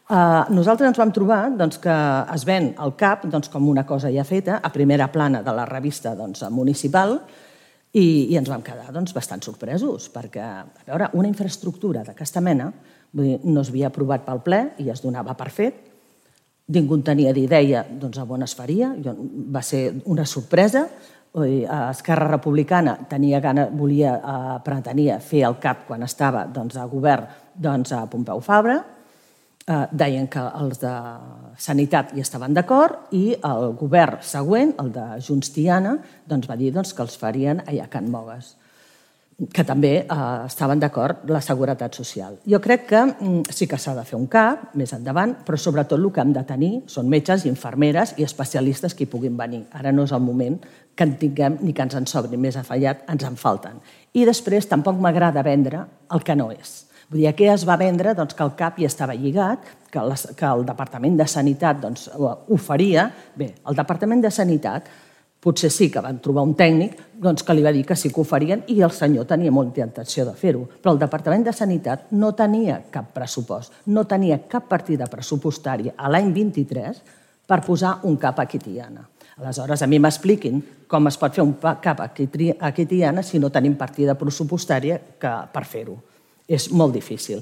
Nosaltres ens vam trobar que es ven el CAP com una cosa ja feta, a primera plana de la revista municipal, i ens vam quedar bastant sorpresos, perquè, a veure, una infraestructura d'aquesta mena no s'havia aprovat pel ple i es donava per fet, ningú en tenia d'idea a on es faria, va ser una sorpresa. Esquerra Republicana pretenia fer el CAP quan estava a govern a Pompeu Fabra, deien que els de Sanitat hi estaven d'acord i el govern següent, el de Junts Tiana, va dir que els farien allà a Can Mogues, que també estaven d'acord la Seguretat Social. Jo crec que sí que s'ha de fer un CAP més endavant, però sobretot el que hem de tenir són metges, infermeres i especialistes que hi puguin venir. Ara no és el moment que en tinguem ni que ens en sobri més afallat, ens en falten. I després tampoc m'agrada vendre el que no és. Vull dir, aquí es va vendre que el CAP hi estava lligat, que el Departament de Sanitat ho faria. Bé, el Departament de Sanitat potser sí que van trobar un tècnic que li va dir que sí que ho farien i el senyor tenia molta intenció de fer-ho. Però el Departament de Sanitat no tenia cap pressupost, no tenia cap partida pressupostària a l'any 23 per posar un CAP aquí a Tiana. Aleshores, a mi m'expliquin com es pot fer un CAP aquí a Tiana si no tenim partida pressupostària per fer-ho. És molt difícil.